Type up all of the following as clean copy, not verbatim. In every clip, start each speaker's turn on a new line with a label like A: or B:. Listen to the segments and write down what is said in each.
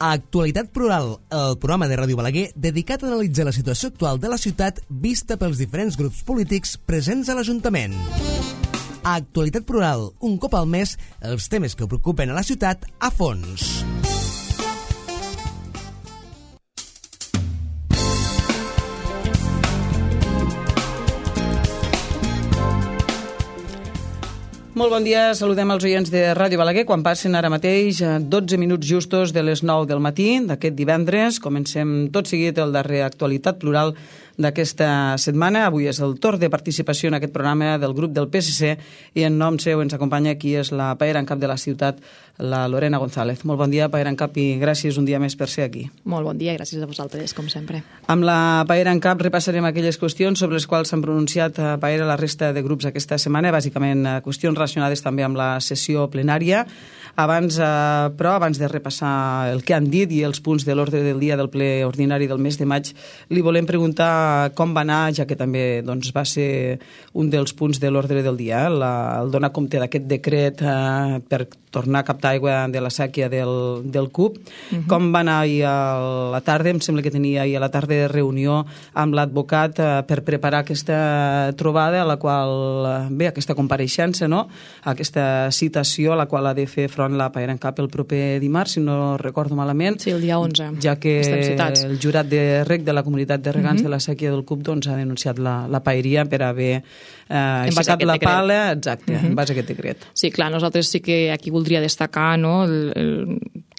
A: A Actualitat Plural, el programa de Ràdio Balaguer dedicat a analitzar la situació actual de la ciutat vista pels diferents grups polítics presents a l'Ajuntament. A Actualitat Plural, un cop al mes, els temes que preocupen a la ciutat a fons.
B: Molt bon dia, saludem els oients de Ràdio Balaguer quan passen ara mateix 12 minuts justos de les 9 del matí d'aquest divendres. Comencem tot seguit el darrer Actualitat Plural d'aquesta setmana. Avui és el torn de participació en aquest programa del grup del PSC i en nom seu ens acompanya qui és la paera en cap de la ciutat, la Lorena González. Molt bon dia, paera en cap, i gràcies un dia més per ser aquí.
C: Molt bon dia, gràcies a vosaltres, com sempre.
B: Amb la paera en cap repassarem aquelles qüestions sobre les quals s'han pronunciat a paera la resta de grups aquesta setmana, bàsicament qüestions relacionades també amb la sessió plenària. Abans de repassar el que han dit i els punts de l'ordre del dia del ple ordinari del mes de maig, li volem preguntar com va anar, ja que també va ser un dels punts de l'ordre del dia, el donar compte d'aquest decret per tornar a captar aigua de la sèquia del CUP. Com va anar ahir a la tarda? Em sembla que tenia ahir a la tarda reunió amb l'advocat per preparar aquesta trobada, a la qual, aquesta compareixença, no? Aquesta citació a la qual ha de fer front la paera en cap el proper dimarts, si no recordo malament.
C: Sí, el dia 11.
B: Ja que el jurat de reg de la comunitat de regants de la sèquia del CUP ha denunciat la paeria per haver aixecat la pala, exacte, en base a aquest decret.
C: Sí, clar, nosaltres sí que aquí voldria destacar, no,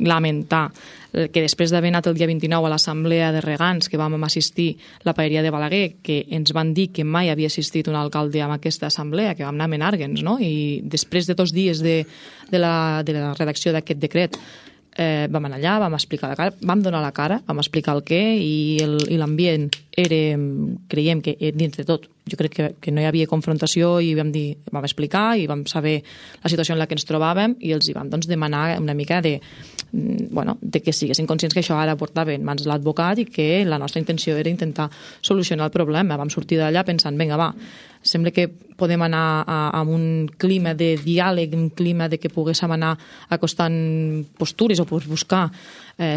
C: lamentar que després d'haver anat el dia 29 a l'assemblea de regants que vam assistir la paeria de Balaguer, que ens van dir que mai havia assistit un alcalde a aquesta assemblea, que vam anar a Menàrguens, no? I després de 2 dies de la redacció d'aquest decret vam anar allà, vam explicar la cara, vam donar la cara, vam explicar el què, i l'ambient era, creiem que dins de tot, jo crec que no hi havia confrontació, i vam explicar i vam saber la situació en la que ens trobàvem, i els hi vam demanar una mica de que siguessin conscients que això ara portava en mans de l'advocat i que la nostra intenció era intentar solucionar el problema. Vam sortir d'allà pensant, vinga, va, sembla que podem anar amb un clima de diàleg, un clima de que poguéssim anar acostant postures o buscar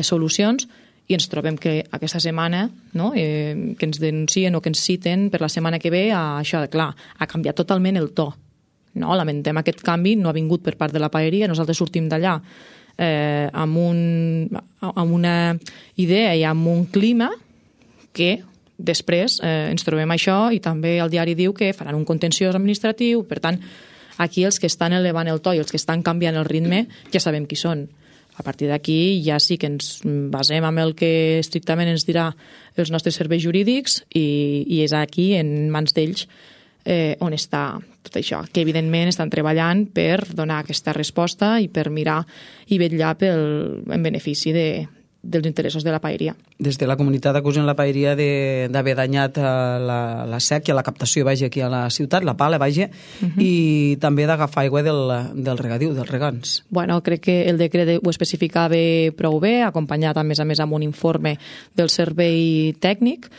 C: solucions, i ens trobem que aquesta setmana, no, que ens denuncien o que ens citen per la setmana que ve, això, clar, ha canviat totalment el to. No, lamentem aquest canvi, no ha vingut per part de la paeria, nosaltres sortim d'allà amb una idea i amb un clima que després ens trobem això, i també el diari diu que faran un contenciós administratiu. Per tant, aquí els que estan elevant el to i els que estan canviant el ritme ja sabem qui són. A partir d'aquí ja sí que ens basem en el que estrictament ens dirà els nostres serveis jurídics, i és aquí, en mans d'ells, on està tot això, que evidentment estan treballant per donar aquesta resposta i per mirar i vetllar en benefici dels interessos de la paeria.
B: Des de la comunitat acusen la paeria d'haver danyat la sèquia, la captació, aquí a la ciutat, la pala, i també d'agafar aigua del regadiu, dels regants.
C: Bueno, crec que el decret ho especificava prou bé, acompanyat a més amb un informe del servei tècnic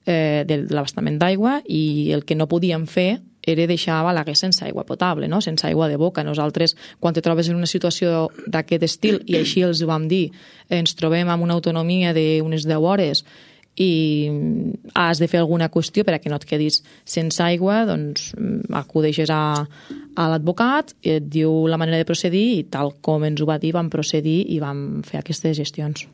C: de l'abastament d'aigua, i el que no podíem fer era deixar Balaguer sense aigua potable, no? Sense aigua de boca. Nosaltres, quan te trobes en una situació d'aquest estil, i així els ho vam dir, ens trobem amb una autonomia d'unes 10 hores i has de fer alguna qüestió per a que no et quedis sense aigua, doncs acudeixes a l'advocat, et diu la manera de procedir, i tal com ens ho va dir vam procedir i vam fer aquestes gestions.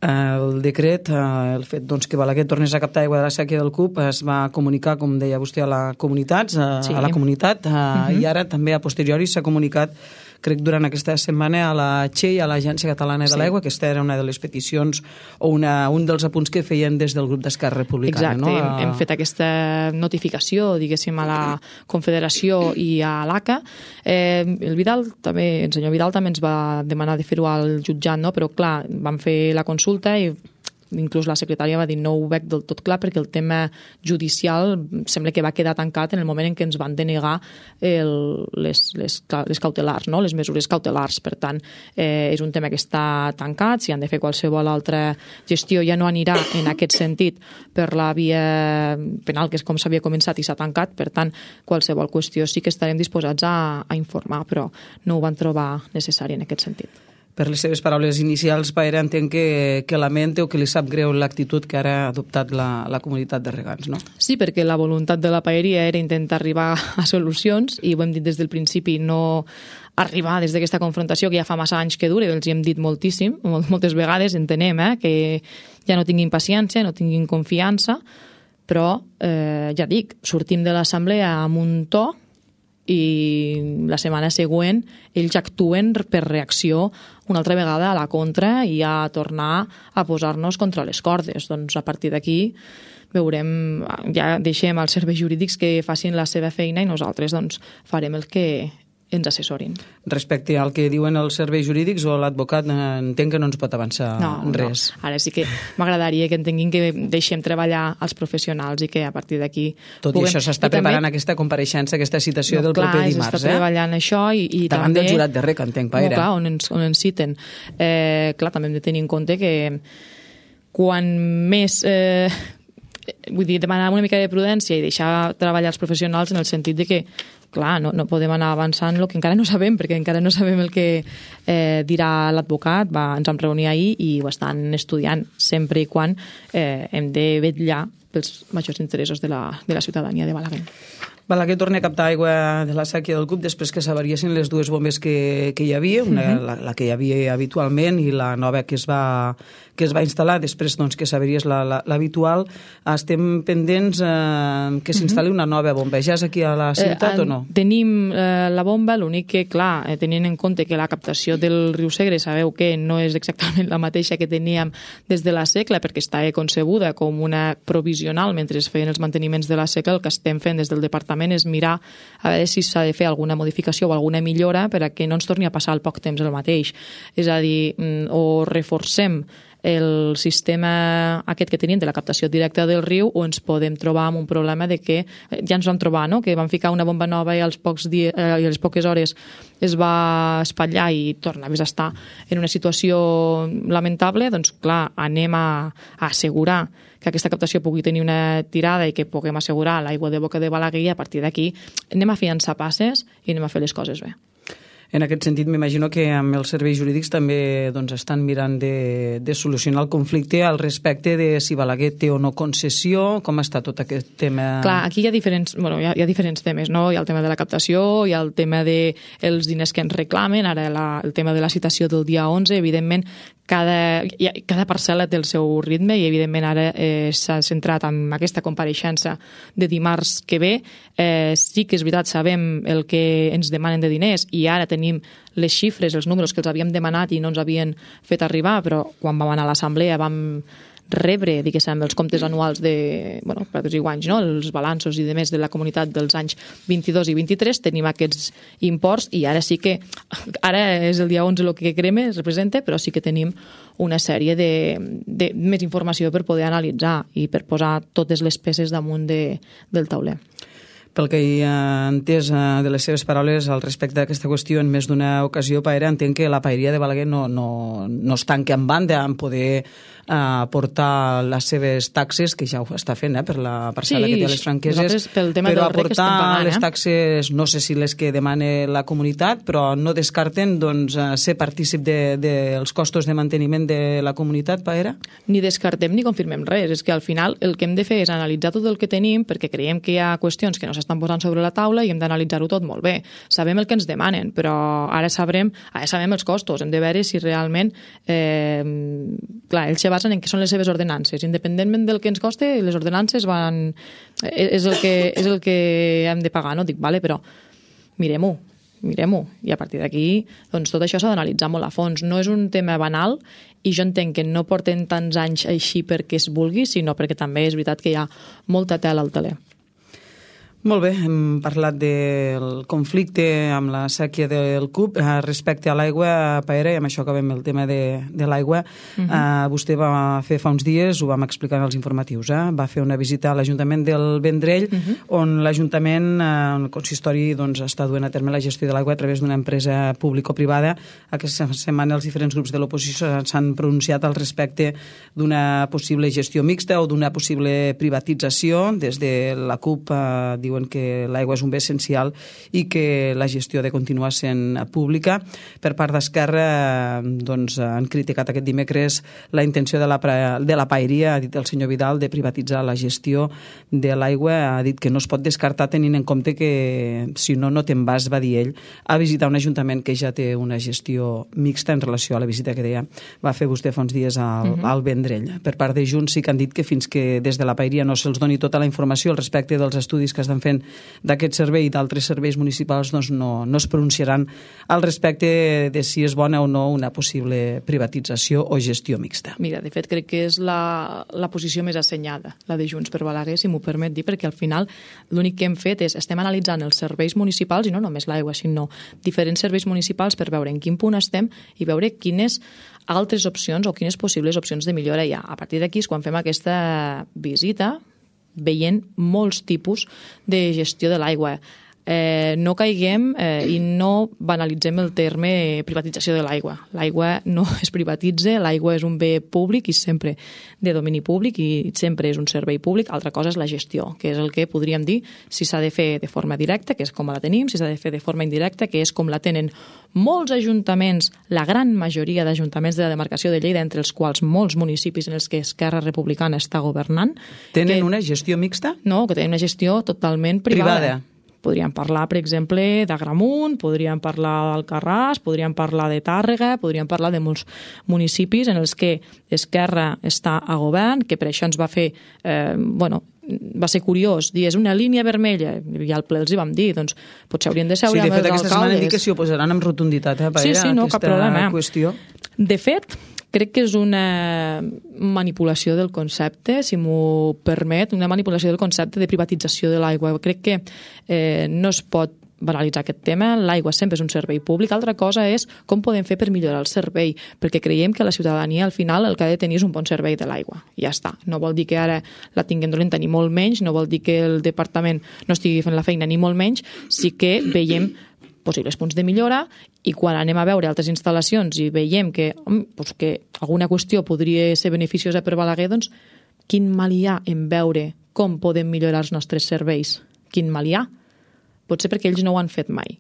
B: El decret, el fet que Balaguer tornés a captar aigua de la sèquia del CUP, es va comunicar, com deia vostè, a la comunitat, i ara també a posteriori s'ha comunicat, crec, durant aquesta setmana a la Che i a l'Agència Catalana de l'Aigua, que aquesta era una de les peticions o un dels apunts que feien des del grup d'Esquerra Republicana.
C: Exacte, no? Hem fet aquesta notificació, diguéssim, a la Confederació i a l'ACA. El senyor Vidal també ens va demanar de fer-ho al jutjat, no? Però clar, vam fer la consulta i inclús la secretària va dir no ho veig del tot clar, perquè el tema judicial sembla que va quedar tancat en el moment en què ens van denegar les cautelars, no? Les mesures cautelars. Per tant, és un tema que està tancat. Si han de fer qualsevol altra gestió ja no anirà en aquest sentit per la via penal, que és com s'havia començat i s'ha tancat. Per tant, qualsevol qüestió sí que estarem disposats a informar, però no ho van trobar necessari en aquest sentit.
B: Per les seves paraules inicials, Paera, entenc que lamenta o que li sap greu l'actitud que ara ha adoptat la comunitat de regants, no?
C: Sí, perquè la voluntat de la paeria era intentar arribar a solucions i ho hem dit des del principi, no arribar des d'aquesta confrontació que ja fa massa anys que dura, els hi hem dit moltíssim, moltes vegades entenem que ja no tinguin paciència, no tinguin confiança, però ja dic, sortim de l'assemblea amb un to i la setmana següent ells actuen per reacció una altra vegada a la contra i a tornar a posar-nos contra les cordes. Doncs a partir d'aquí veurem, ja deixem als serveis jurídics que facin la seva feina i nosaltres doncs farem el que ens assessorin.
B: Respecte al que diuen els serveis jurídics o l'advocat, entenc que no ens pot avançar res.
C: No. Ara sí que m'agradaria que entenguin que deixem treballar els professionals i que a partir d'aquí...
B: Tot i això s'està preparant aquesta compareixença, aquesta citació del proper dimarts.
C: Clar, s'està treballant això i
B: davant
C: també...
B: del jurat de REC, entenc, Paera.
C: Clar, on ens citen. Clar, també hem de tenir en compte que quan més... vull dir, demanar una mica de prudència i deixar treballar els professionals en el sentit de que clar, no podem anar avançant el que encara no sabem, perquè encara no sabem el que dirà l'advocat. Ens vam reunir ahir i ho estan estudiant sempre i quan hem de vetllar pels majors interessos de la ciutadania de Balaguer.
B: Balaguer torna a captar aigua de la sèquia del Cup després que s'avariessin les dues bombes que hi havia, la que hi havia habitualment i la nova que es va instal·lar després doncs, que s'avariés l'habitual. Estem pendents que s'instal·li una nova bomba. Ja és aquí a la ciutat o no?
C: Tenim la bomba, l'únic que, clar, tenint en compte que la captació del riu Segre sabeu que no és exactament la mateixa que teníem des de la Secla, perquè està concebuda com una provisional mentre es feien els manteniments de la Secla. El que estem fent des del departament és mirar a veure si s'ha de fer alguna modificació o alguna millora per a que no ens torni a passar al poc temps el mateix. És a dir, o reforcem el sistema aquest que tenim de la captació directa del riu o ens podem trobar amb un problema de que ja ens vam trobar, no? Que vam ficar una bomba nova i a les poques hores es va espatllar i tornaves a estar en una situació lamentable. Doncs clar, anem a assegurar que aquesta captació pugui tenir una tirada i que puguem assegurar l'aigua de boca de Balaguer i a partir d'aquí anem a fiançar passes i anem a fer les coses bé.
B: En aquest sentit, m'imagino que amb els serveis jurídics també doncs, estan mirant de solucionar el conflicte al respecte de si Balaguer té o no concessió, com està tot aquest tema...
C: Clar, aquí hi ha diferents temes, no? Hi ha el tema de la captació, hi ha el tema dels diners que ens reclamen, ara el tema de la citació del dia 11, evidentment, cada parcel·la té el seu ritme i evidentment ara s'ha centrat en aquesta compareixença de dimarts que ve. Sí que és veritat, sabem el que ens demanen de diners i ara tenim les xifres, els números que els havíem demanat i no ens havien fet arribar, però quan vam anar a l'assemblea vam rebre, diguéssim, els comptes anuals de, per tots i guanys, no? Els balanços i demés de la comunitat dels anys 22 i 23, tenim aquests imports i ara sí que, ara és el dia 11 el que crema, es representa, però sí que tenim una sèrie de més informació per poder analitzar i per posar totes les peces damunt del tauler.
B: Pel que he entès de les seves paraules al respecte d'aquesta qüestió en més d'una ocasió, Paera, entenc que la paeria de Balaguer no es tanca en banda en poder aportar les seves taxes, que ja ho està fent per la parcel·la que té a les Franqueses, però aportar les taxes, no sé si les que demana la comunitat, però no descarten ser partícip dels costos de manteniment de la comunitat, Paera?
C: Ni descartem ni confirmem res, és que al final el que hem de fer és analitzar tot el que tenim perquè creiem que hi ha qüestions que no s'estan posant sobre la taula i hem d'analitzar-ho tot molt bé. Sabem el que ens demanen, però ara sabem els costos, hem de veure si realment clar, ells se basen en què són les seves ordenances. Independentment del que ens costa, les ordenances és el que hem de pagar, no? Dic, vale, però mirem-ho. I a partir d'aquí, doncs tot això s'ha d'analitzar molt a fons. No és un tema banal i jo entenc que no porten tants anys així perquè es vulgui, sinó perquè també és veritat que hi ha molta tela al teler.
B: Molt bé, hem parlat del conflicte amb la sèquia del CUP. Respecte a l'aigua, Paera, i amb això acabem el tema de l'aigua, vostè va fer fa uns dies, ho vam explicar en els informatius, va fer una visita a l'Ajuntament del Vendrell, on l'Ajuntament, el consistori, està duent a terme la gestió de l'aigua a través d'una empresa público-privada. Aquesta setmana els diferents grups de l'oposició s'han pronunciat al respecte d'una possible gestió mixta o d'una possible privatització. Des de la CUP diuen diuen que l'aigua és un bé essencial i que la gestió ha de continuar sent pública. Per part d'Esquerra han criticat aquest dimecres la intenció de la paeria, ha dit el senyor Vidal, de privatitzar la gestió de l'aigua. Ha dit que no es pot descartar tenint en compte que si no te'n vas, va dir ell, a visitar un ajuntament que ja té una gestió mixta en relació a la visita que deia va fer vostè fa uns dies al Vendrell. Per part de Junts sí que han dit que fins que des de la paeria no se'ls doni tota la informació al respecte dels estudis que estan fent d'aquest servei i d'altres serveis municipals, doncs no es pronunciaran al respecte de si és bona o no una possible privatització o gestió mixta.
C: Mira, de fet crec que és la posició més assenyada, la de Junts per Balaguer, si m'ho permet dir, perquè al final l'únic que hem fet és estem analitzant els serveis municipals, i no només l'aigua, sinó diferents serveis municipals per veure en quin punt estem i veure quines altres opcions o quines possibles opcions de millora hi ha. A partir d'aquí és quan fem aquesta visita veient molts tipus de gestió de l'aigua. No caiguem i no banalitzem el terme privatització de l'aigua. L'aigua no es privatitza, l'aigua és un bé públic i sempre de domini públic i sempre és un servei públic. Altra cosa és la gestió, que és el que podríem dir si s'ha de fer de forma directa, que és com la tenim, si s'ha de fer de forma indirecta, que és com la tenen molts ajuntaments, la gran majoria d'ajuntaments de la demarcació de Lleida, entre els quals molts municipis en els que Esquerra Republicana està governant.
B: Tenen una gestió mixta?
C: No, que tenen una gestió totalment privada. Podríem parlar, per exemple, d'Agramunt, podríem parlar d'Alcarràs, podríem parlar de Tàrrega, podríem parlar de molts municipis en els que Esquerra està a govern, que per això ens va fer, va ser curiós dir, és una línia vermella, i al ple els hi vam dir, doncs potser haurien de seure amb els alcaldes.
B: Sí, de fet, aquesta setmana han dit que s'hi oposaran amb rotunditat a aquesta qüestió.
C: De fet, crec que és una manipulació del concepte, si m'ho permet, una manipulació del concepte de privatització de l'aigua. Crec que no es pot banalitzar aquest tema, l'aigua sempre és un servei públic. Altra cosa és com podem fer per millorar el servei, perquè creiem que la ciutadania al final el que ha de tenir és un bon servei de l'aigua. Ja està. No vol dir que ara la tinguem dolenta ni molt menys, no vol dir que el departament no estigui fent la feina ni molt menys, sí que veiem possibles punts de millora i quan anem a veure altres instal·lacions i veiem que alguna qüestió podria ser beneficiosa per Balaguer, doncs quin mal hi ha en veure com podem millorar els nostres serveis? Quin mal hi ha? Potser perquè ells no ho han fet mai.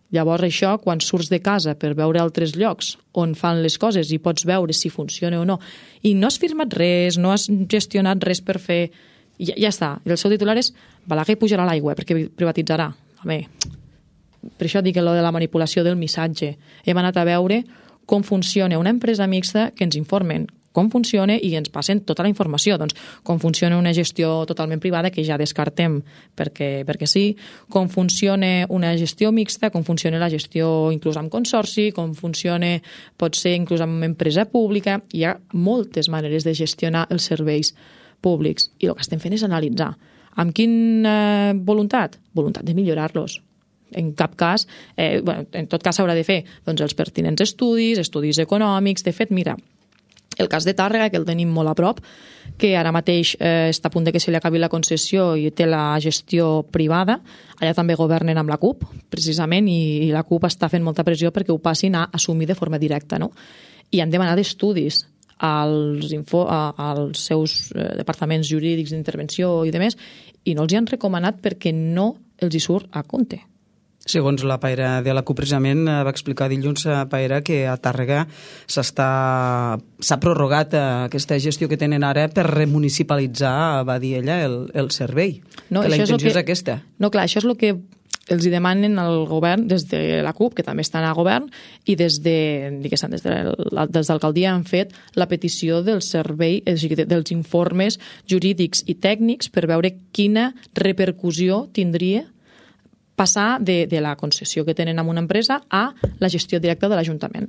C: Llavors això, quan surts de casa per veure altres llocs on fan les coses i pots veure si funciona o no, i no has firmat res, no has gestionat res per fer, ja està. I el seu titular és Balaguer pujarà l'aigua perquè privatitzarà. Home, per això dic lo de la manipulació del missatge. Hem anat a veure com funciona una empresa mixta, que ens informen com funciona i ens passen tota la informació. Doncs com funciona una gestió totalment privada, que ja descartem perquè sí, com funciona una gestió mixta, com funciona la gestió inclús amb consorci, com funciona, pot ser inclús amb empresa pública. Hi ha moltes maneres de gestionar els serveis públics i el que estem fent és analitzar. Amb quina voluntat? Voluntat de millorar-los. En cap cas, en tot cas s'haurà de fer doncs, els pertinents estudis econòmics. De fet, mira, el cas de Tàrrega, que el tenim molt a prop, que ara mateix està a punt de que se li acabi la concessió i té la gestió privada, allà també governen amb la CUP, precisament, i la CUP està fent molta pressió perquè ho passin a assumir de forma directa, no? I han demanat estudis als seus departaments jurídics d'intervenció i demés, i no els hi han recomanat perquè no els hi surt a compte.
B: Segons la paera de la CUP, precisament, va explicar dilluns a paera que a Tàrrega s'ha prorrogat aquesta gestió que tenen ara per remunicipalitzar, va dir ella, el servei. No, que la intenció és aquesta.
C: No, clar, això és el que els hi demanen al govern des de la CUP, que també estan a govern, i des d'alcaldia han fet la petició del servei, dels informes jurídics i tècnics per veure quina repercussió tindria passar de la concessió que tenen amb una empresa a la gestió directa de l'Ajuntament.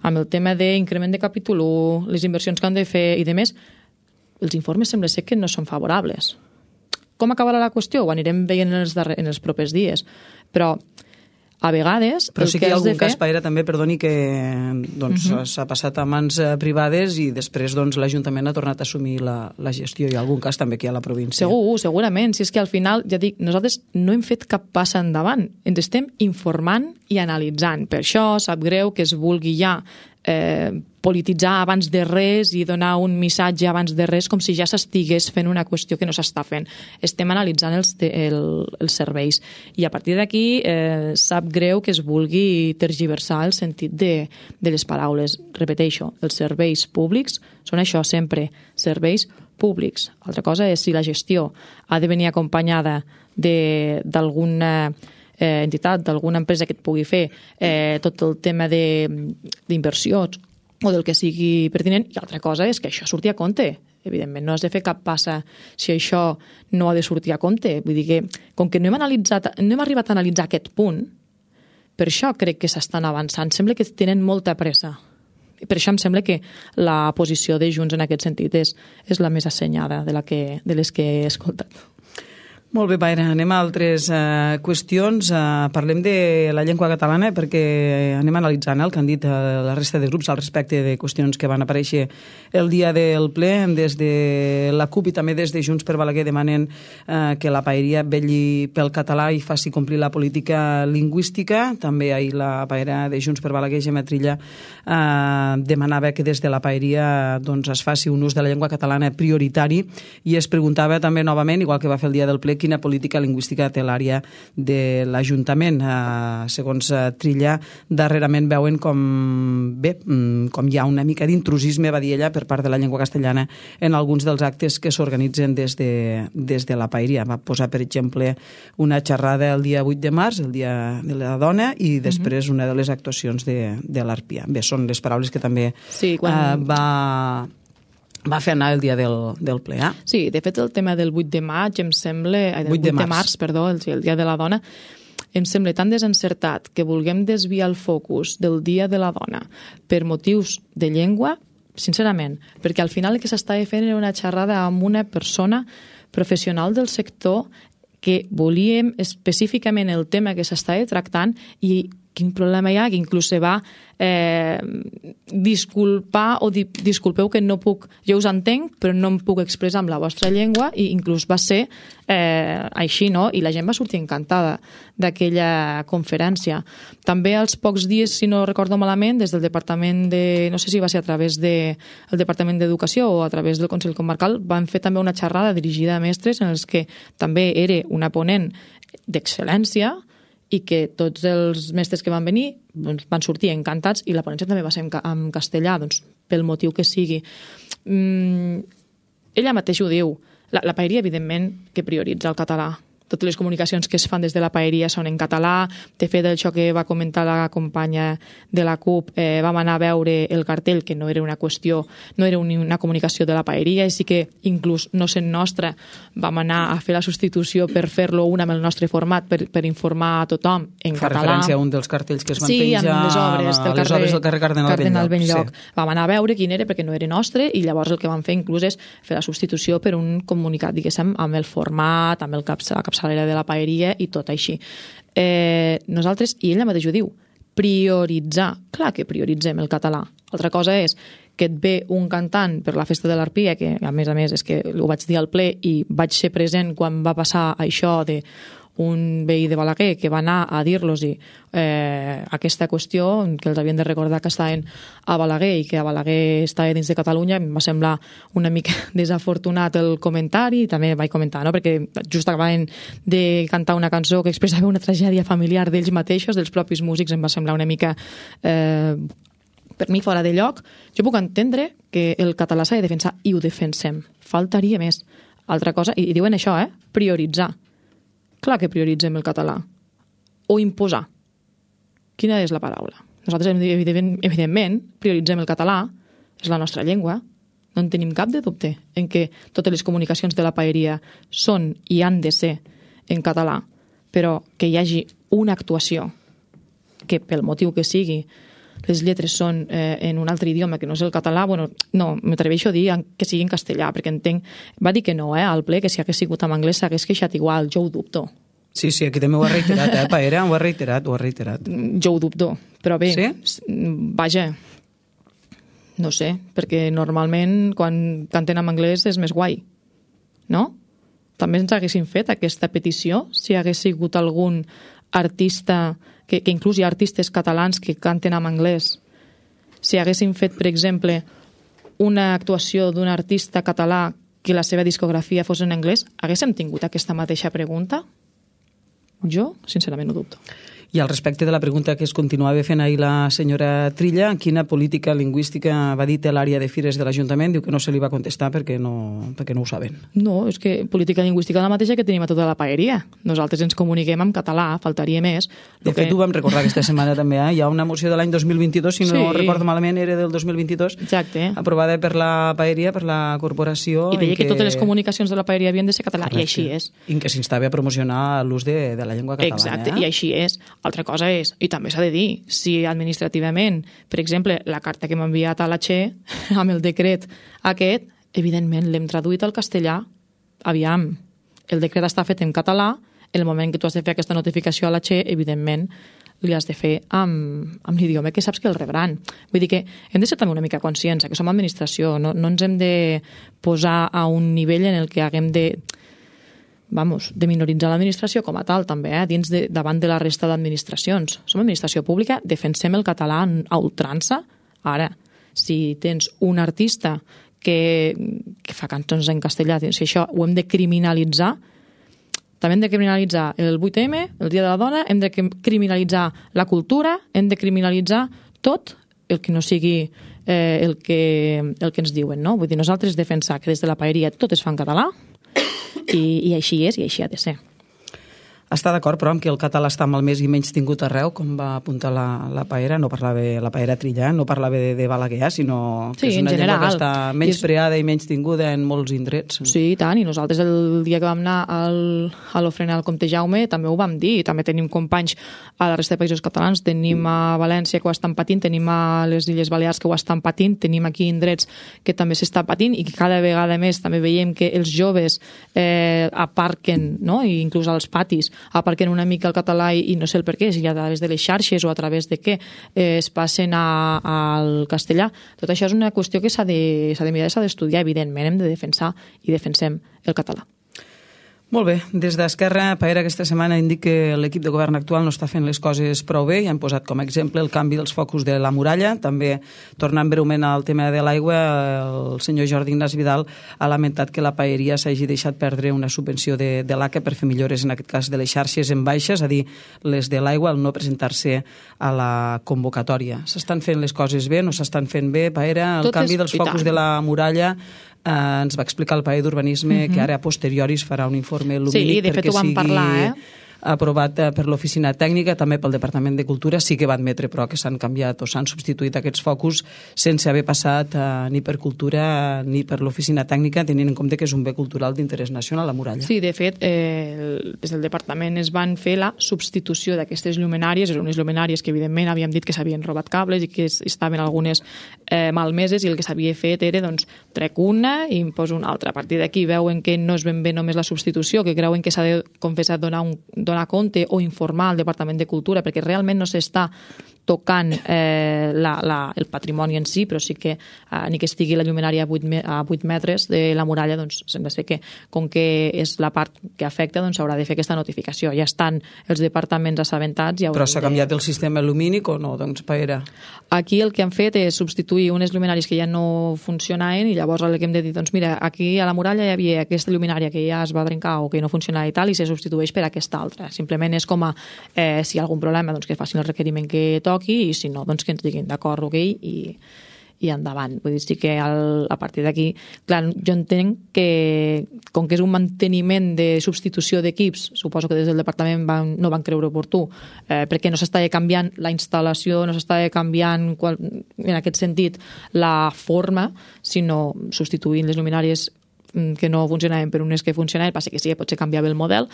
C: Amb el tema d'increment de capítol 1, les inversions que han de fer i demés, els informes sembla ser que no són favorables. Com acabarà la qüestió? Ho anirem veient en els propers dies. Però a vegades...
B: Però sí que hi ha algun cas, Paera, també, perdoni, que s'ha passat a mans privades i després l'Ajuntament ha tornat a assumir la gestió. Hi ha algun cas també que hi ha a la província.
C: Segurament. Si és que al final, ja dic, nosaltres no hem fet cap passa endavant. Ens estem informant i analitzant. Per això sap greu que es vulgui ja polititzar abans de res i donar un missatge abans de res com si ja s'estigués fent una qüestió que no s'està fent. Estem analitzant els serveis i a partir d'aquí sap greu que es vulgui tergiversar el sentit de les paraules. Repeteixo, els serveis públics són això sempre, serveis públics. Altra cosa és si la gestió ha de venir acompanyada d'alguna entitat, d'alguna empresa que et pugui fer tot el tema d'inversions o del que sigui pertinent, i altra cosa és que això surti a compte. Evidentment, no has de fer cap passa si això no ha de sortir a compte. Vull dir que, com que no hem arribat a analitzar aquest punt, per això crec que s'estan avançant. Sembla que tenen molta pressa. I per això em sembla que la posició de Junts en aquest sentit és la més assenyada de les que he escoltat.
B: Molt bé, Paire, anem a altres qüestions. Parlem de la llengua catalana perquè anem analitzant el que han dit la resta de grups al respecte de qüestions que van aparèixer el dia del ple. Des de la CUP i també des de Junts per Balaguer demanen que la paeria vetlli pel català i faci complir la política lingüística. També ahir la paera de Junts per Balaguer, Gemma Trilla, demanava que des de la paeria es faci un ús de la llengua catalana prioritari i es preguntava també novament, igual que va fer el dia del ple, quina política lingüística té l'àrea de l'Ajuntament. Segons Trilla, darrerament veuen com hi ha una mica d'intrusisme, va dir ella, per part de la llengua castellana en alguns dels actes que s'organitzen des de la paeria. Va posar, per exemple, una xerrada el dia 8 de març, el dia de la dona, i després una de les actuacions de l'Arpia. Bé, són les paraules que també va fer anar el dia del ple.
C: Sí, de fet el tema del 8 de maig em sembla... 8 de març, perdó, el dia de la dona, em sembla tan desencertat que vulguem desviar el focus del dia de la dona per motius de llengua, sincerament, perquè al final el que s'estava fent era una xerrada amb una persona professional del sector que volíem específicament el tema que s'estava tractant i quin problema hi ha, que inclús se va disculpar o dir, disculpeu que no puc, jo us entenc, però no em puc expressar amb la vostra llengua, i inclús va ser així, no? I la gent va sortir encantada d'aquella conferència. També als pocs dies, si no recordo malament, des del Departament no sé si va ser a través del Departament d'Educació o a través del Consell Comarcal, van fer també una xerrada dirigida a mestres en els que també era una ponent d'excel·lència i que tots els mestres que van venir van sortir encantats, i la ponència també va ser en castellà, pel motiu que sigui. Ella mateixa ho diu, la paeria, evidentment, que prioritza el català. Totes les comunicacions que es fan des de la paeria són en català. De fet, això que va comentar la companya de la CUP, vam anar a veure el cartell, que no era una qüestió, no era una comunicació de la paeria, i sí que inclús no sent nostra vam anar a fer la substitució per fer-lo amb el nostre format, per informar a tothom en català. Fa
B: referència a un dels cartells que es van
C: penjar
B: amb
C: les obres
B: del carrer Cardenal Benlloc.
C: Sí. Vam anar a veure quin era, perquè no era nostre, i llavors el que vam fer inclús és fer la substitució per un comunicat, diguéssim, amb el format, amb la capçalera de la paeria i tot així. Nosaltres, i ella mateix ho diu, prioritzar. Clar que prioritzem el català. Altra cosa és que et ve un cantant per la festa de l'Arpia, que a més és que ho vaig dir al ple i vaig ser present quan va passar això de un veí de Balaguer que va anar a dir-los aquesta qüestió, que els havien de recordar que estaven a Balaguer i que a Balaguer estava dins de Catalunya. Em va semblar una mica desafortunat el comentari, també vaig comentar, no? Perquè just acabaven de cantar una cançó que expressava una tragèdia familiar d'ells mateixos, dels propis músics. Em va semblar una mica per mi fora de lloc. Jo puc entendre que el català s'ha de defensar, i ho defensem, faltaria més. Altra cosa, i diuen això, prioritzar. Clar que prioritzem el català. O imposar. Quina és la paraula? Nosaltres, evidentment, prioritzem el català, és la nostra llengua, no en tenim cap de dubte en que totes les comunicacions de la paeria són i han de ser en català, però que hi hagi una actuació que, pel motiu que sigui, les lletres són en un altre idioma que no és el català, no, m'atreveixo a dir que sigui en castellà, perquè entenc... Va dir que no, al ple, que si hagués sigut en anglès s'hagués queixat igual, jo ho dubto.
B: Sí, aquí també ho ha reiterat, Paera, ho ha reiterat.
C: Jo ho dubto, però bé,
B: sí?
C: Vaja, no sé, perquè normalment quan canten en anglès és més guai, no? També ens haguessin fet aquesta petició si hagués sigut algun artista... que inclús hi ha artistes catalans que canten en anglès. si haguéssim fet, per exemple, una actuació d'un artista català que la seva discografia fos en anglès, haguéssim tingut aquesta mateixa pregunta? Jo, sincerament, ho dubto.
B: I al respecte de la pregunta que es continuava fent ahir la senyora Trilla, quina política lingüística va dir l'àrea de Fires de l'Ajuntament? Diu que no se li va contestar perquè no ho saben.
C: No, és que política lingüística és la mateixa que tenim a tota la paeria. Nosaltres ens comuniquem en català, faltaria més.
B: De fet, ho vam recordar aquesta setmana també. Hi ha una moció de l'any 2022, si no recordo malament, era del 2022,
C: exacte,
B: aprovada per la paeria, per la corporació.
C: I deia que totes les comunicacions de la paeria havien de ser català, correcte. I així és.
B: I que s'instava a promocionar l'ús de la llengua catalana.
C: Exacte, i així és. Altra cosa és, i també s'ha de dir, si administrativament, per exemple, la carta que m'ha enviat a la Che, amb el decret aquest, evidentment l'hem traduït al castellà. Aviam, el decret està fet en català, en el moment que tu has de fer aquesta notificació a la Che, evidentment, li has de fer amb l'idioma que saps que el rebran. Vull dir que hem de ser també una mica conscients, que som administració, no ens hem de posar a un nivell en el que haguem de minoritzar l'administració com a tal, també, davant de la resta d'administracions. Som administració pública, defensem el català a ultrança. Ara, si tens un artista que fa cançons en castellà, si això ho hem de criminalitzar, també hem de criminalitzar el 8M, el Dia de la Dona, hem de criminalitzar la cultura, hem de criminalitzar tot el que no sigui el que ens diuen, no? Vull dir, nosaltres defensar que des de la paeria tot es fa en català, i així és, i així ha de ser.
B: Està d'acord, però, amb que el català està malmès i menys tingut arreu, com va apuntar la Paera, no parlava la Paera Trilla, no parlava de Balaguer, sinó que és una llengua que està menys preada i menys tinguda en molts indrets.
C: Sí, i tant, i nosaltres el dia que vam anar a l'ofrenar al Comte Jaume també ho vam dir, també tenim companys a la resta de països catalans, tenim a València que ho estan patint, tenim a les Illes Balears que ho estan patint, tenim aquí indrets que també s'està patint i que cada vegada més també veiem que els joves aparquen, no? I inclús als patis aparquen una mica el català i no sé el per què, si a través de les xarxes o a través de què es passen al castellà. Tot això és una qüestió que s'ha de mirar i s'ha d'estudiar, evidentment, hem de defensar i defensem el català.
B: Molt bé, des d'Esquerra, Paera aquesta setmana indica que l'equip de govern actual no està fent les coses prou bé i han posat com a exemple el canvi dels focus de la muralla. També, tornant breument al tema de l'aigua, el senyor Jordi Ignasi Vidal ha lamentat que la paeria s'hagi deixat perdre una subvenció de l'ACA per fer millores, en aquest cas de les xarxes en baixes, a dir, les de l'aigua, al no presentar-se a la convocatòria. S'estan fent les coses bé, no s'estan fent bé, Paera? El canvi dels focus de la muralla ens va explicar el paer d'urbanisme que ara a posteriori es farà un informe lumínic perquè sigui aprovat per l'oficina tècnica, també pel Departament de Cultura. Sí que va admetre, però, que s'han canviat o s'han substituït aquests focus sense haver passat ni per Cultura ni per l'oficina tècnica, tenint en compte que és un bé cultural d'interès nacional, la muralla.
C: Sí, de fet, des del Departament es van fer la substitució d'aquestes llumenàries, eren unes llumenàries que, evidentment, havíem dit que s'havien robat cables i que estaven algunes malmeses, i el que s'havia fet era, doncs, trec una i em poso una altra. A partir d'aquí veuen que no és ben bé només la substitució, que creuen que s'ha de confessar donar compte o informar al Departament de Cultura, perquè realment no s'està tocant el patrimoni en si, però sí que ni que estigui la llumenària a 8 metres de la muralla, doncs sembla ser que, com que és la part que afecta, doncs s'haurà de fer aquesta notificació. Ja estan els departaments assabentats.
B: Però s'ha canviat el sistema lumínic o no? Doncs, Paera?
C: Aquí el que han fet és substituir unes llumenàries que ja no funcionaven i llavors el que hem de dir, doncs mira, aquí a la muralla hi havia aquesta llumenària que ja es va trencar o que no funcionava i tal, i se substitueix per aquesta altra. Simplement és com si hi ha algun problema, doncs que facin el requeriment que toqui, i si no, doncs que ens diguin d'acord, ok, i endavant. Vull dir, sí que a partir d'aquí, clar, jo entenc que com que és un manteniment de substitució d'equips, suposo que des del departament no van creure oportú, perquè no s'estava canviant la instal·lació, no s'estava canviant en aquest sentit la forma, sinó substituint les luminàries que no funcionaven per unes que funcionaven. Passa que sí, potser canviava el model,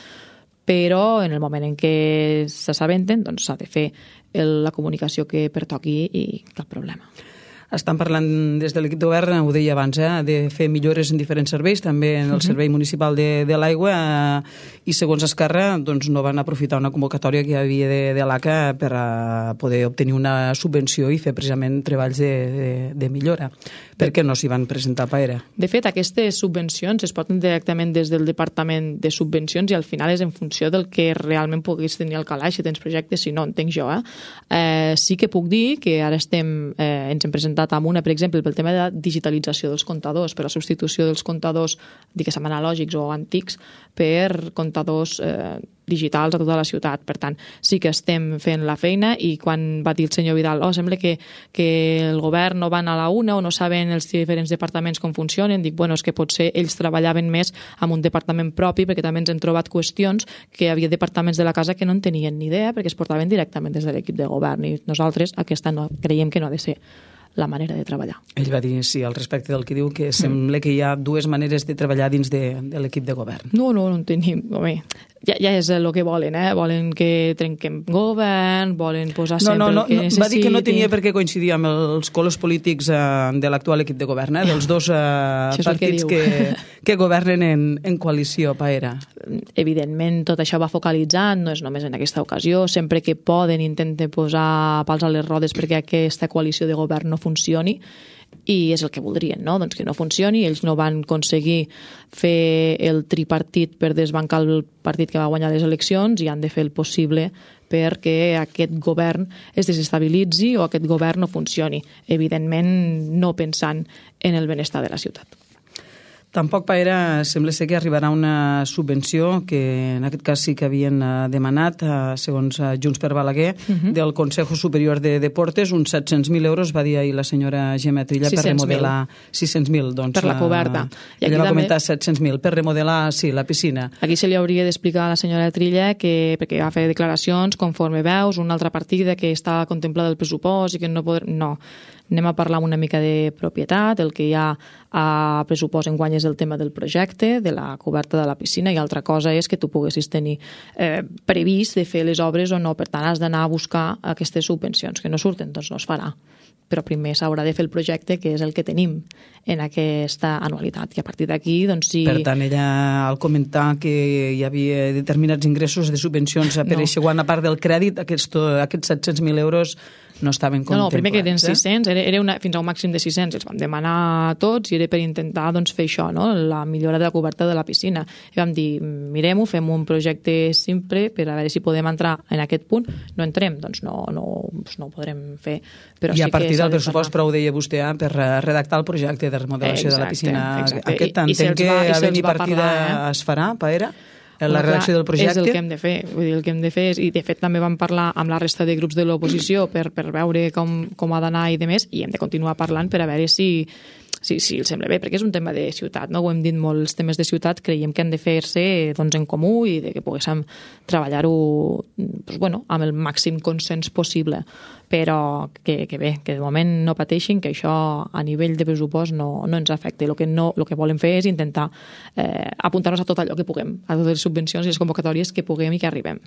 C: però en el moment en què s'assabenten, doncs s'ha de fer la comunicació que pertoqui i cap problema.
B: Estan parlant des de l'equip de govern, ho deia abans, de fer millores en diferents serveis, també en el servei municipal de l'aigua, i segons Esquerra doncs no van aprofitar una convocatòria que hi havia de l'ACA per poder obtenir una subvenció i fer precisament treballs de millora. Per què no s'hi van presentar, Paera?
C: De fet, aquestes subvencions es porten directament des del Departament de Subvencions i al final és en funció del que realment puguis tenir al calaix, si tens projectes, si no, entenc jo. Sí que puc dir que ara ens hem presentat amb una, per exemple, pel tema de la digitalització dels comptadors, per la substitució dels comptadors, diguéssim, analògics o antics, per comptadors digitals a tota la ciutat. Per tant, sí que estem fent la feina i quan va dir el senyor Vidal, sembla que el govern no van a la una o no saben els diferents departaments com funcionen, dic, bueno, és que potser ells treballaven més amb un departament propi perquè també ens hem trobat qüestions que hi havia departaments de la casa que no en tenien ni idea perquè es portaven directament des de l'equip de govern i nosaltres aquesta no, creiem que no ha de ser la manera de treballar.
B: Ell va dir, sí, al respecte del que diu, que sembla que hi ha dues maneres de treballar dins de l'equip de govern.
C: No en tenim. Home, ja és el que volen, Volen que trenquem govern, volen posar sempre el que necessitin.
B: Va dir que no tenia per què coincidir amb els colors polítics de l'actual equip de govern, dels dos partits que governen en coalició, Paera.
C: Evidentment, tot això va focalitzat, no és només en aquesta ocasió, sempre que poden intenten posar pals a les rodes perquè aquesta coalició de govern no funcioni, i és el que voldrien, no? Doncs que no funcioni. Ells no van aconseguir fer el tripartit per desbancar el partit que va guanyar les eleccions i han de fer el possible perquè aquest govern es desestabilitzi o aquest govern no funcioni. Evidentment, no pensant en el benestar de la ciutat.
B: Tampoc, Paera, sembla ser que arribarà una subvenció que en aquest cas sí que havien demanat, segons Junts per Balaguer, del Consejo Superior de Deportes, uns 700.000 euros, va dir ahir la senyora Gemma Trilla, per remodelar 600.000.
C: Per la coberta.
B: Ella va comentar 700.000 per remodelar, sí, la piscina.
C: Aquí se li hauria d'explicar a la senyora Trilla que, perquè va fer declaracions, conforme veus, una altra partida que està contemplada el pressupost i que no podrà... No. Anem a parlar una mica de propietat, el que hi ha a pressupost enguany és el tema del projecte, de la coberta de la piscina, i altra cosa és que tu poguessis tenir previst de fer les obres o no. Per tant, has d'anar a buscar aquestes subvencions que no surten, doncs no es farà. Però primer s'haurà de fer el projecte, que és el que tenim en aquesta anualitat. I a partir d'aquí, doncs sí...
B: Per tant, ella, al comentar que hi havia determinats ingressos de subvencions per a segona part del crèdit, aquests 700.000 euros no estaven contemplats.
C: No, primer que eren 600, era fins a un màxim de 600, els vam demanar tots i era per intentar doncs, fer això, no? La millora de la coberta de la piscina. I vam dir, mirem-ho, fem un projecte simple per a veure si podem entrar en aquest punt. No entrem, doncs no ho podrem fer. Però
B: I
C: sí
B: a partir del pressupost,
C: parlar.
B: però ho deia vostè, per redactar el projecte de remodelació de la piscina.
C: Exacte.
B: Aquest entenc que a venir partida es farà, Paera? La redacció del projecte?
C: És el que hem de fer. Vull dir, el que hem de fer és, i de fet també vam parlar amb la resta de grups de l'oposició per veure com ha d'anar i de més, i hem de continuar parlant per a veure si els sembla bé, perquè és un tema de ciutat, no? Ho hem dit molt, els temes de ciutat creiem que han de fer-se doncs, en comú i de que poguéssim treballar-ho doncs, amb el màxim consens possible, però que bé, que de moment no pateixin, que això a nivell de pressupost no ens afecta. El que volem fer és intentar apuntar-nos a tot allò que puguem, a totes les subvencions i les convocatòries que puguem i que arribem.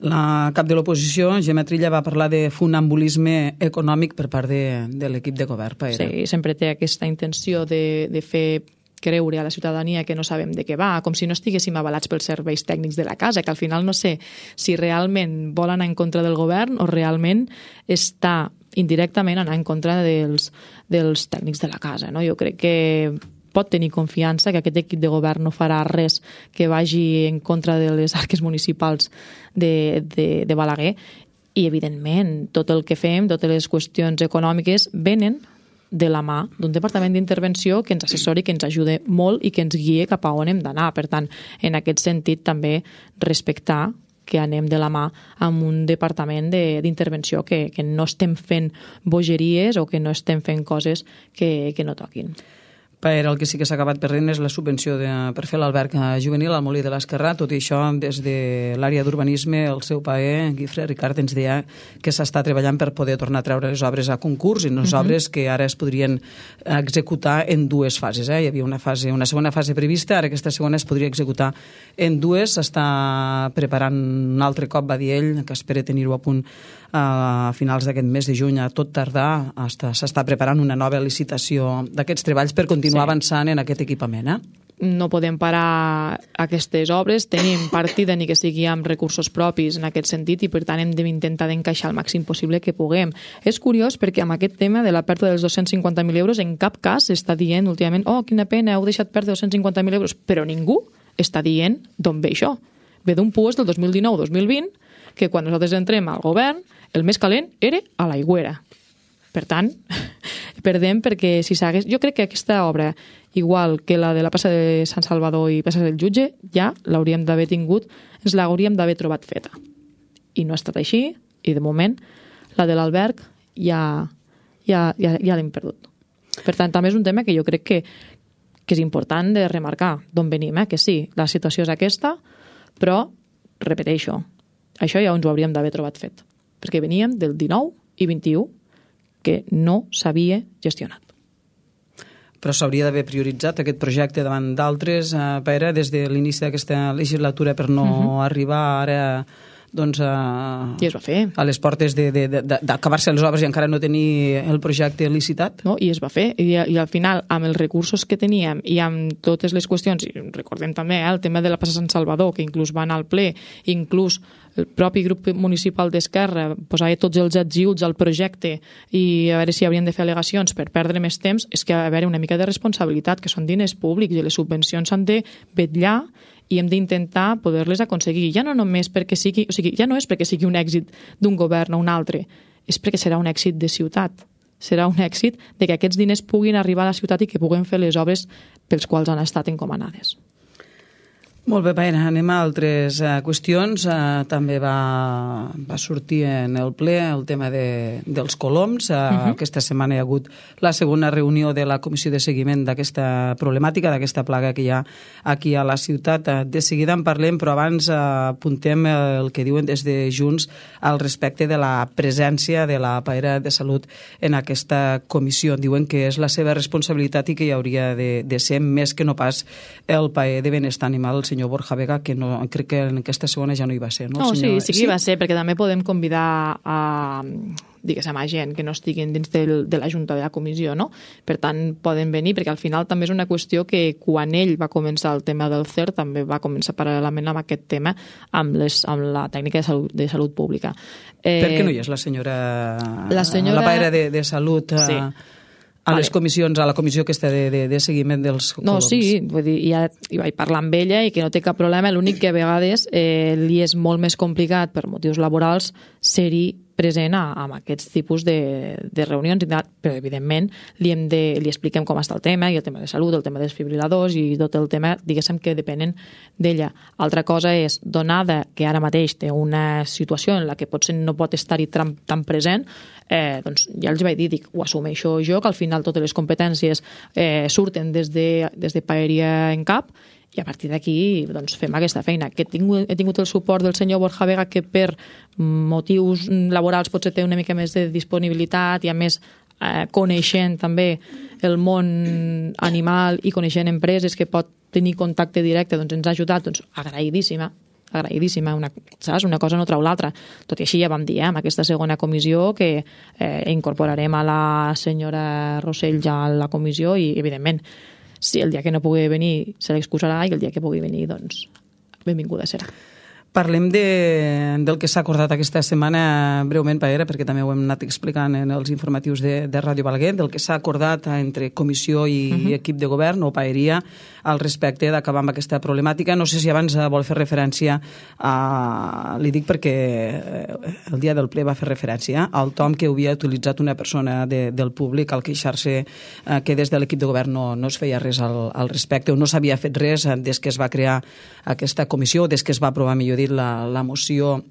B: La cap de l'oposició, Gemma Trilla, va parlar de funambulisme econòmic per part de l'equip de govern, Paera.
C: Sí, sempre té aquesta intenció de fer creure a la ciutadania que no sabem de què va, com si no estiguéssim avalats pels serveis tècnics de la casa, que al final no sé si realment vol anar en contra del govern o realment està indirectament anar en contra dels tècnics de la casa. No? Jo crec que pot tenir confiança que aquest equip de govern no farà res que vagi en contra de les arques municipals de Balaguer i, evidentment, tot el que fem, totes les qüestions econòmiques venen de la mà d'un departament d'intervenció que ens assessori, que ens ajude molt i que ens guie cap a on hem d'anar. Per tant, en aquest sentit, també respectar que anem de la mà amb un departament d'intervenció que no estem fent bogeries o que no estem fent coses que no toquin.
B: El que sí que s'ha acabat perdent és la subvenció per fer l'alberg juvenil al Molí de l'Esquerrà. Tot i això, des de l'àrea d'urbanisme, el seu paer, Guifré Ricard, ens deia que s'està treballant per poder tornar a treure les obres a concurs i unes obres que ara es podrien executar en dues fases. Hi havia una segona fase prevista, ara aquesta segona es podria executar en dues. S'està preparant un altre cop, va dir ell, que espera tenir-ho a punt a finals d'aquest mes de juny, a tot tardar. S'està preparant una nova licitació d'aquests treballs per continuar avançant en aquest equipament.
C: no podem parar aquestes obres, tenim partida ni que sigui amb recursos propis en aquest sentit i per tant hem d'intentar d'encaixar el màxim possible que puguem. És curiós perquè amb aquest tema de la pèrdua dels 250.000 euros en cap cas s'està dient últimament quina pena, heu deixat perdre 250.000 euros, però ningú està dient d'on ve això. Ve d'un puest del 2019-2020 que quan nosaltres entrem al govern el més calent era a l'Aigüera. Per tant, perdem perquè si s'hagués... Jo crec que aquesta obra, igual que la de la plaça de Sant Salvador i plaça del Jutge, ja l'hauríem d'haver tingut, ens l'hauríem d'haver trobat feta. I no ha estat així, i de moment la de l'alberg ja l'hem perdut. Per tant, també és un tema que jo crec que és important de remarcar d'on venim, que sí, la situació és aquesta, però, repeteixo, això ja ens ho hauríem d'haver trobat fet, perquè veníem del 19 i 21 que no s'havia gestionat.
B: Però s'hauria d'haver prioritzat aquest projecte davant d'altres, Pere, des de l'inici d'aquesta legislatura per no arribar ara doncs,
C: I es va fer.
B: a les portes d'acabar-se les obres i encara no tenir el projecte licitat.
C: No? I es va fer. I al final, amb els recursos que teníem i amb totes les qüestions, i recordem també el tema de la plaça Sant Salvador, que inclús va anar al ple, inclús el propi grup municipal d'Esquerra posava tots els ets i uts al projecte i a veure si haurien de fer al·legacions per perdre més temps, és que a veure una mica de responsabilitat, que són diners públics i les subvencions s'han de vetllar i hem d'intentar poder-les aconseguir. Ja no només perquè sigui, o sigui, ja no és perquè sigui un èxit d'un govern o un altre, és perquè serà un èxit de ciutat. Serà un èxit de que aquests diners puguin arribar a la ciutat i que puguem fer les obres pels quals han estat encomanades.
B: Molt bé, Pere, anem a altres qüestions. També va sortir en el ple el tema dels coloms. Aquesta setmana hi ha hagut la segona reunió de la comissió de seguiment d'aquesta problemàtica, d'aquesta plaga que hi ha aquí a la ciutat. De seguida en parlem, però abans apuntem el que diuen des de Junts al respecte de la presència de la paella de salut en aquesta comissió. Diuen que és la seva responsabilitat i que hi hauria de ser més que no pas el paella de benestar animal, el senyor Borja Vega, que no, crec que en aquesta segona ja no hi va ser, no?
C: No, sí que hi va ser, perquè també podem convidar a gent que no estiguin dins de la Junta de la Comissió, no? Per tant, poden venir, perquè al final també és una qüestió que quan ell va començar el tema del CER també va començar paral·lelament amb aquest tema amb la tècnica de salut pública.
B: Per què no hi és la senyora la paella de salut? Sí. A les comissions, a la comissió aquesta de seguiment dels coloms.
C: No, sí, vull dir, ja hi vaig parlar amb ella i que no té cap problema, l'únic que a vegades li és molt més complicat per motius laborals ser-hi present amb aquests tipus de reunions, però evidentment li expliquem com està el tema, i el tema de salut, el tema dels fibriladors i tot el tema, diguéssim, que depenen d'ella. Altra cosa és, donada que ara mateix té una situació en la que potser no pot estar-hi tan present, doncs ja els vaig dir, ho assumeixo jo, que al final totes les competències surten des de Paeria en cap, i a partir d'aquí doncs, fem aquesta feina. Que he tingut el suport del senyor Borja Vega, que per motius laborals potser té una mica més de disponibilitat i a més coneixent també el món animal i coneixent empreses que pot tenir contacte directe, doncs ens ha ajudat, doncs agraïdíssima, saps? Una cosa no treu l'altra. Tot i així ja vam dir amb aquesta segona comissió que incorporarem a la senyora Rossell ja a la comissió i evidentment si el dia que no pugui venir se l'excusarà i el dia que pugui venir, doncs, benvinguda serà.
B: Parlem del que s'ha acordat aquesta setmana breument, Paera, perquè també ho hem anat explicant en els informatius de Ràdio Balaguer, del que s'ha acordat entre comissió i equip de govern o Paeria al respecte d'acabar amb aquesta problemàtica. No sé si abans vol fer referència li dic perquè el dia del ple va fer referència al tom que havia utilitzat una persona del públic al queixar-se que des de l'equip de govern no es feia res al respecte o no s'havia fet res des que es va crear aquesta comissió, des que es va aprovar, millor dit, la moció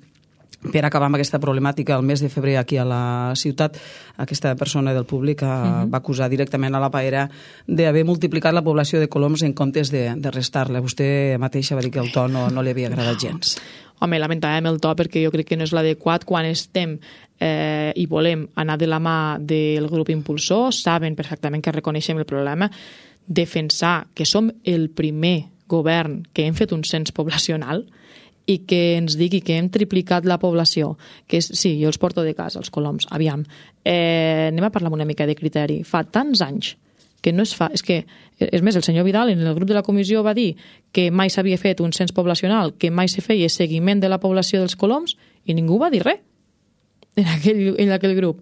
B: per acabar amb aquesta problemàtica el mes de febrer aquí a la ciutat. Aquesta persona del públic va acusar directament a la Paera d'haver multiplicat la població de coloms en comptes de restar-la. Vostè mateixa va dir que el to no li havia agradat gens.
C: Home, lamentàvem el to perquè jo crec que no és l'adequat quan estem i volem anar de la mà del grup impulsor, saben perfectament que reconeixem el problema, defensar que som el primer govern que hem fet un cens poblacional i que ens digui que hem triplicat la població, que sí, jo els porto de casa, els coloms, aviam, anem a parlar una mica de criteri. Fa tants anys que no es fa. És més, el senyor Vidal en el grup de la comissió va dir que mai s'havia fet un cens poblacional, que mai se feia seguiment de la població dels coloms, i ningú va dir res en aquell grup.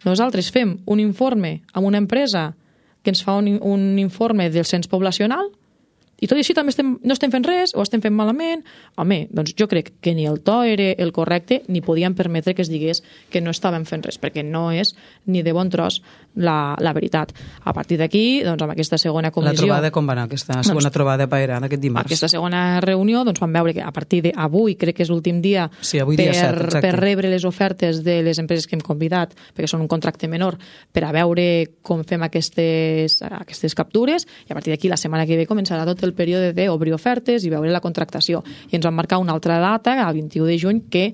C: Nosaltres fem un informe amb una empresa que ens fa un informe del cens poblacional, i tot i així també no estem fent res o estem fent malament. Home, doncs jo crec que ni el to era el correcte ni podíem permetre que es digués que no estàvem fent res, perquè no és ni de bon tros la veritat. A partir d'aquí, doncs amb aquesta segona comissió...
B: La trobada com va anar, aquesta segona trobada paera d'aquest dimarts?
C: Aquesta segona reunió, doncs vam veure que a partir d'avui, crec que és l'últim dia, per rebre les ofertes de les empreses que hem convidat, perquè són un contracte menor, per a veure com fem aquestes captures, i a partir d'aquí la setmana que ve començarà tot el període d'obrir ofertes i veure la contractació. I ens van marcar una altra data, el 21 de juny, que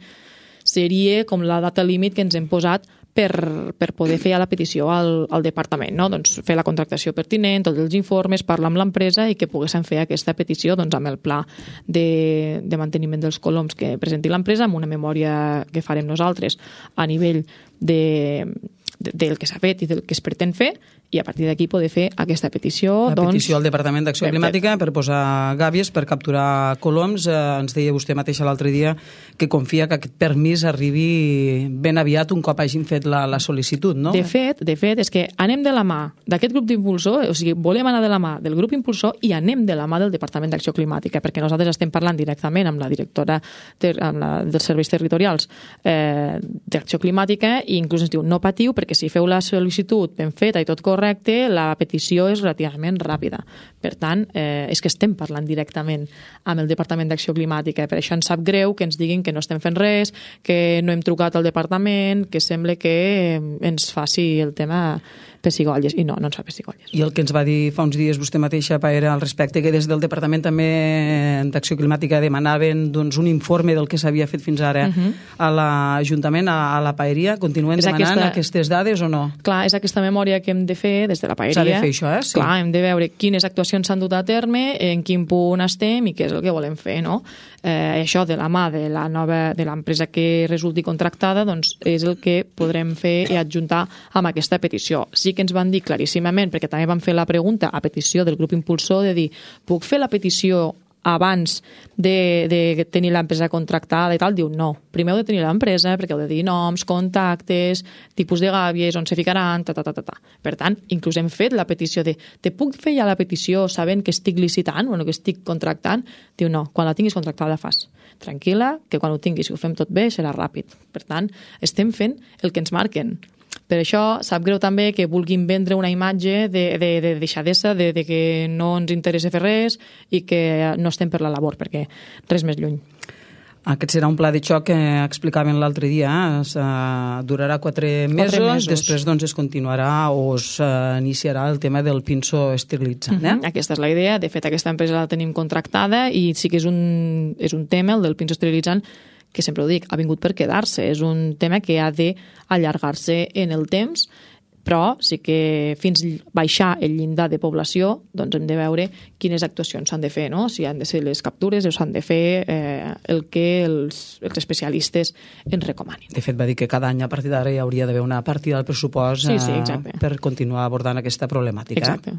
C: seria com la data límit que ens hem posat per poder fer la petició al departament, no? Doncs fer la contractació pertinent, tots els informes, parlar amb l'empresa i que poguéssim fer aquesta petició doncs, amb el pla de manteniment dels coloms que presenti l'empresa, amb una memòria que farem nosaltres a nivell del que s'ha fet i del que es pretén fer, i a partir d'aquí poder fer aquesta petició.
B: La petició al Departament d'Acció Climàtica per posar gàbies, per capturar coloms. Ens deia vostè mateixa l'altre dia que confia que aquest permís arribi ben aviat un cop hagin fet la sol·licitud, no?
C: De fet, és que anem de la mà d'aquest grup d'impulsor, o sigui, volem anar de la mà del grup impulsor i anem de la mà del Departament d'Acció Climàtica, perquè nosaltres estem parlant directament amb la directora dels serveis territorials d'Acció Climàtica, i inclús ens diu, no patiu, perquè si feu la sol·licitud ben feta i tot correcte, la petició és relativament ràpida. Per tant, és que estem parlant directament amb el Departament d'Acció Climàtica. Per això ens sap greu que ens diguin que no estem fent res, que no hem trucat al departament, que sembla que ens faci el tema pessigolles. I no ens fa pessigolles.
B: I el que ens va dir fa uns dies vostè mateixa, Paera, al respecte, que des del Departament també d'Acció Climàtica demanaven doncs, un informe del que s'havia fet fins ara a l'Ajuntament, a la Paeria. Continuen demanant aquestes dades o no?
C: Clar, és aquesta memòria que hem de fer des de la Paeria.
B: S'ha de fer això, Sí.
C: Clar, hem de veure quines actuacions s'han dut a terme, en quin punt estem i què és el que volem fer, no? Això de la mà de l'empresa que resulti contractada, doncs és el que podrem fer i adjuntar amb aquesta petició. Sí que ens van dir claríssimament, perquè també van fer la pregunta a petició del grup impulsor, de dir, puc fer la petició abans de tenir l'empresa contractada i tal? Diu, no. Primer heu de tenir l'empresa, perquè heu de dir noms, contactes, tipus de gàbies, on se ficaran, Per tant, inclús hem fet la petició de, te puc fer ja la petició sabent que estic licitant, o que estic contractant? Diu, no, quan la tinguis contractada la fas. Tranquil·la, que quan ho tinguis, si ho fem tot bé, serà ràpid. Per tant, estem fent el que ens marquen. Per això sap greu també que vulguin vendre una imatge de deixadesa, de que no ens interessa fer res i que no estem per la labor, perquè res més lluny.
B: Aquest serà un pla de xoc que explicaven l'altre dia. Durarà 4 mesos, després doncs, es continuarà o s'iniciarà el tema del pinso esterilitzant.
C: Aquesta és la idea. De fet, aquesta empresa la tenim contractada i sí que és un tema, el del pinso esterilitzant, que sempre ho dic, ha vingut per quedar-se. És un tema que ha d'allargar-se en el temps, però sí que fins baixar el llindar de població doncs hem de veure quines actuacions s'han de fer, no? Si han de ser les captures o s'han de fer el que els especialistes ens recomanin.
B: De fet, va dir que cada any a partir d'ara hi hauria d'haver una partida del pressupost per continuar abordant aquesta problemàtica.
C: Exacte.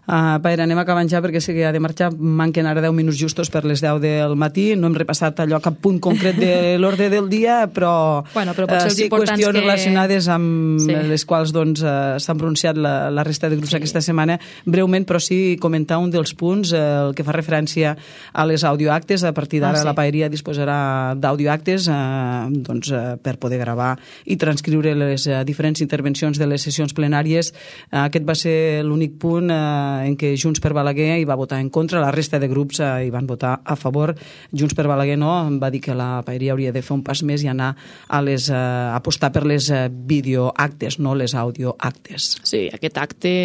B: Paera, anem acabant ja perquè sé que ha de marxar. Manquen ara 10 minuts justos per les 10 del matí. No hem repassat allò cap punt concret de l'ordre del dia, però sí qüestions relacionades amb les quals s'han pronunciat la resta de grups aquesta setmana. Breument, però sí comentar un dels punts, el que fa referència a les audioactes. A partir d'ara la Paeria disposarà d'audioactes per poder gravar i transcriure les diferents intervencions de les sessions plenàries. Aquest va ser l'únic punt en què Junts per Balaguer hi va votar en contra, la resta de grups hi van votar a favor. Junts per Balaguer no, va dir que la Paeria hauria de fer un pas més i anar a apostar per les videoactes, no les audioactes.
C: Sí, aquest acte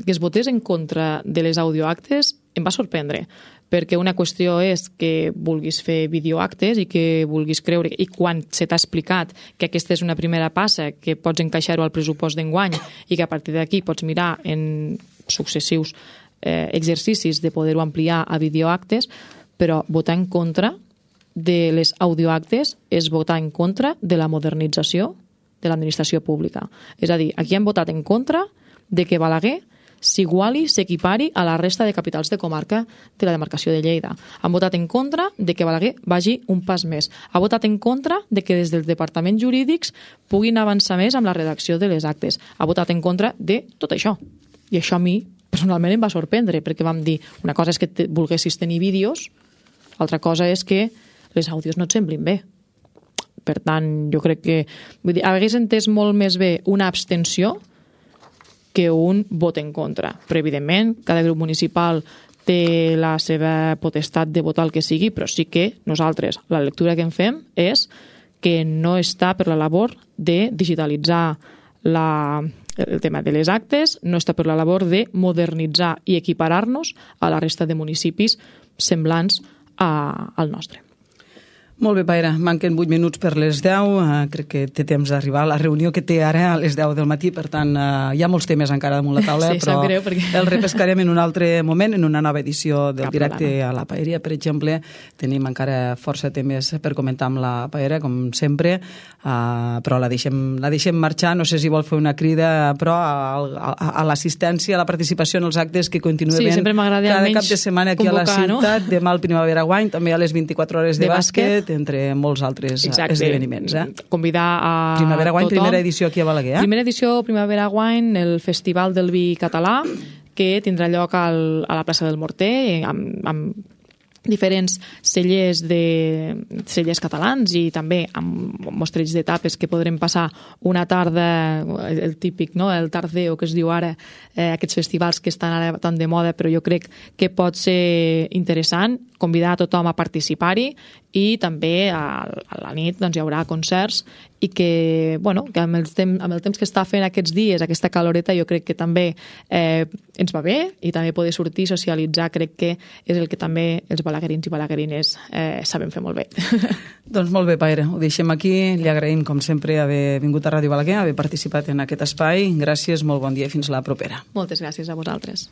C: que es votés en contra de les audioactes em va sorprendre, perquè una qüestió és que vulguis fer videoactes i que vulguis creure, i quan se t'ha explicat que aquesta és una primera passa, que pots encaixar-ho al pressupost d'enguany i que a partir d'aquí pots mirar en successius exercicis de poder-ho ampliar a videoactes, però votar en contra de les audioactes és votar en contra de la modernització de l'administració pública. És a dir, aquí han votat en contra de que Balaguer s'iguali, s'equipari a la resta de capitals de comarca de la demarcació de Lleida. Han votat en contra de que Balaguer vagi un pas més. Ha votat en contra de que des dels departaments jurídics puguin avançar més amb la redacció de les actes. Ha votat en contra de tot això. I això a mi, personalment, em va sorprendre, perquè vam dir, una cosa és que volguessis tenir vídeos, altra cosa és que les àudios no et semblin bé. Per tant, jo crec que hagués entès molt més bé una abstenció que un vot en contra. Però, evidentment, cada grup municipal té la seva potestat de votar el que sigui, però sí que nosaltres, la lectura que en fem és que no està per la labor de digitalitzar el tema de les actes, no està per la labor de modernitzar i equiparar-nos a la resta de municipis semblants al nostre.
B: Molt bé, Paire, manquen 8 minuts per les 10, crec que té temps d'arribar a la reunió que té ara a les 10 del matí, per tant, hi ha molts temes encara damunt la taula,
C: sí,
B: però
C: greu, perquè...
B: el repescarem en un altre moment, en una nova edició del directe a la Paeria, per exemple. Tenim encara força temes per comentar amb la Paera, com sempre, però la deixem marxar. No sé si vol fer una crida, però a l'assistència, a la participació en els actes que continua
C: sí,
B: havent cada cap de setmana aquí
C: convocar,
B: a la ciutat, demà al Primavera Wine, també a les 24 hores de bàsquet, entre molts altres esdeveniments.
C: Convidar a
B: Primavera Wine,
C: tothom.
B: Primera edició aquí a Balaguer.
C: Primera edició Primavera Wine, el Festival del Vi Català, que tindrà lloc a la plaça del Morter, amb diferents cellers catalans i també amb mostreig d'etapes que podrem passar una tarda, el típic, no? El tardeo que es diu ara, aquests festivals que estan ara tan de moda, però jo crec que pot ser interessant convidar a tothom a participar-hi i també a la nit doncs, hi haurà concerts i que, bueno, que amb el temps que està fent aquests dies, aquesta caloreta, jo crec que també ens va bé i també poder sortir, socialitzar, crec que és el que també els balaguerins i balaguerines saben fer molt bé.
B: Doncs molt bé, Paire, ho deixem aquí. Li agraïm, com sempre, haver vingut a Ràdio Balaguer, haver participat en aquest espai. Gràcies, molt bon dia i fins la propera.
C: Moltes gràcies a vosaltres.